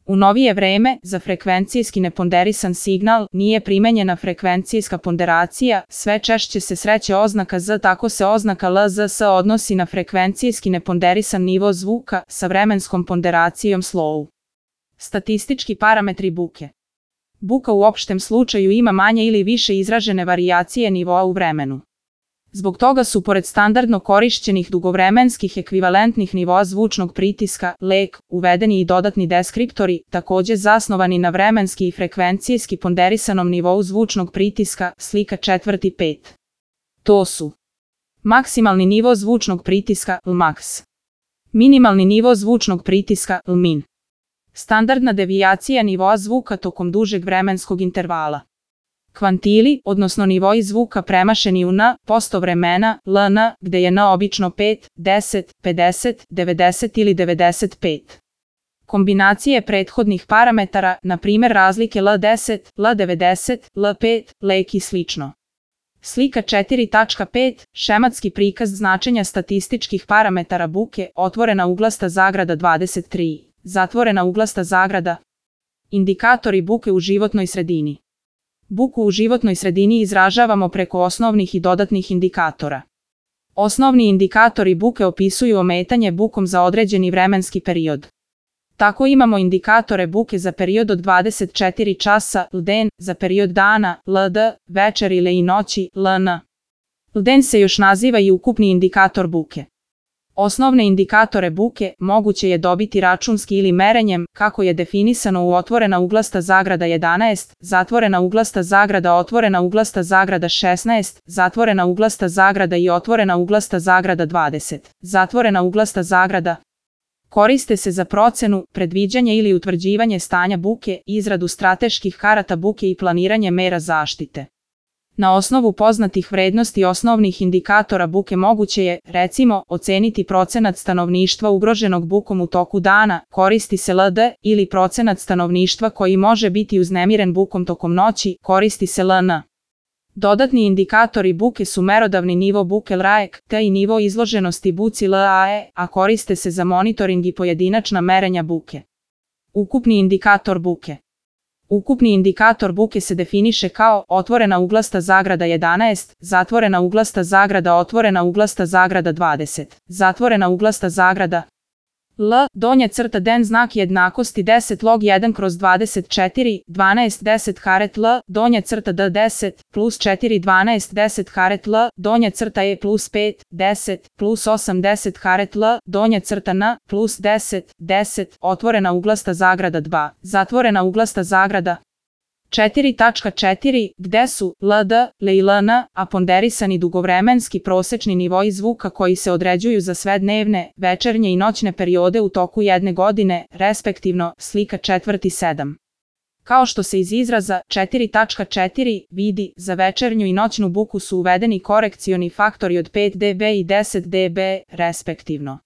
U novije vreme, za frekvencijski neponderisan signal nije primenjena frekvencijska ponderacija, sve češće se sreće oznaka Z, tako se oznaka LZS odnosi na frekvencijski neponderisan nivo zvuka sa vremenskom ponderacijom slow. Statistički parametri buke. Buka u opštem slučaju ima manje ili više izražene varijacije nivoa u vremenu. Zbog toga su pored standardno korišćenih dugovremenskih ekvivalentnih nivoa zvučnog pritiska, LEK, uvedeni i dodatni deskriptori, takođe zasnovani na vremenski i frekvencijski ponderisanom nivou zvučnog pritiska, slika 4.5. To su maksimalni nivo zvučnog pritiska, Lmax, minimalni nivo zvučnog pritiska, Lmin, standardna devijacija nivoa zvuka tokom dužeg vremenskog intervala. Kvantili, odnosno nivoi zvuka premašeni u N% vremena, LN, gde je N obično 5, 10, 50, 90 ili 95. Kombinacije prethodnih parametara, na primer razlike L10, L90, L5, LEK i slično. Slika 4.5. Šematski prikaz značenja statističkih parametara buke, otvorena uglasta zagrada 23, zatvorena uglasta zagrada. Indikatori buke u životnoj sredini. Buku u životnoj sredini izražavamo preko osnovnih i dodatnih indikatora. Osnovni indikatori buke opisuju ometanje bukom za određeni vremenski period. Tako imamo indikatore buke za period od 24 časa, LDN, za period dana, LD, večer ili i noći, LN. LDN se još naziva i ukupni indikator buke. Osnovne indikatore buke moguće je dobiti računski ili merenjem, kako je definisano u otvorena uglasta zagrada 11, zatvorena uglasta zagrada, otvorena uglasta zagrada 16, zatvorena uglasta zagrada i otvorena uglasta zagrada 20, zatvorena uglasta zagrada. Koriste se za procenu, predviđanje ili utvrđivanje stanja buke, izradu strateških karata buke i planiranje mera zaštite. Na osnovu poznatih vrednosti osnovnih indikatora buke moguće je, recimo, oceniti procenat stanovništva ugroženog bukom u toku dana, koristi se LD, ili procenat stanovništva koji može biti uznemiren bukom tokom noći, koristi se LN. Dodatni indikatori buke su merodavni nivo buke LRAEK, te i nivo izloženosti buci LAE, a koriste se za monitoring i pojedinačna merenja buke. Ukupni indikator buke. Ukupni indikator buke se definiše kao otvorena uglasta zagrada 11, zatvorena uglasta zagrada, otvorena uglasta zagrada 20, zatvorena uglasta zagrada. L, donja crta den znak jednakosti 10 log 1/24, 12 10 karet L, donja crta D 10, plus 4 12 10 karet L, donja crta E plus 5, 10, plus 8 10 karet L, donja crta N, plus 10, 10, otvorena uglasta zagrada 2, zatvorena uglasta zagrada. 4.4, gde su LD, L i LN, a ponderisani dugovremenski prosečni nivoi zvuka koji se određuju za sve dnevne, večernje i noćne periode u toku jedne godine, respektivno, slika 4.7. Kao što se iz izraza 4.4 vidi, za večernju i noćnu buku su uvedeni korekcioni faktori od 5 dB i 10 dB, respektivno.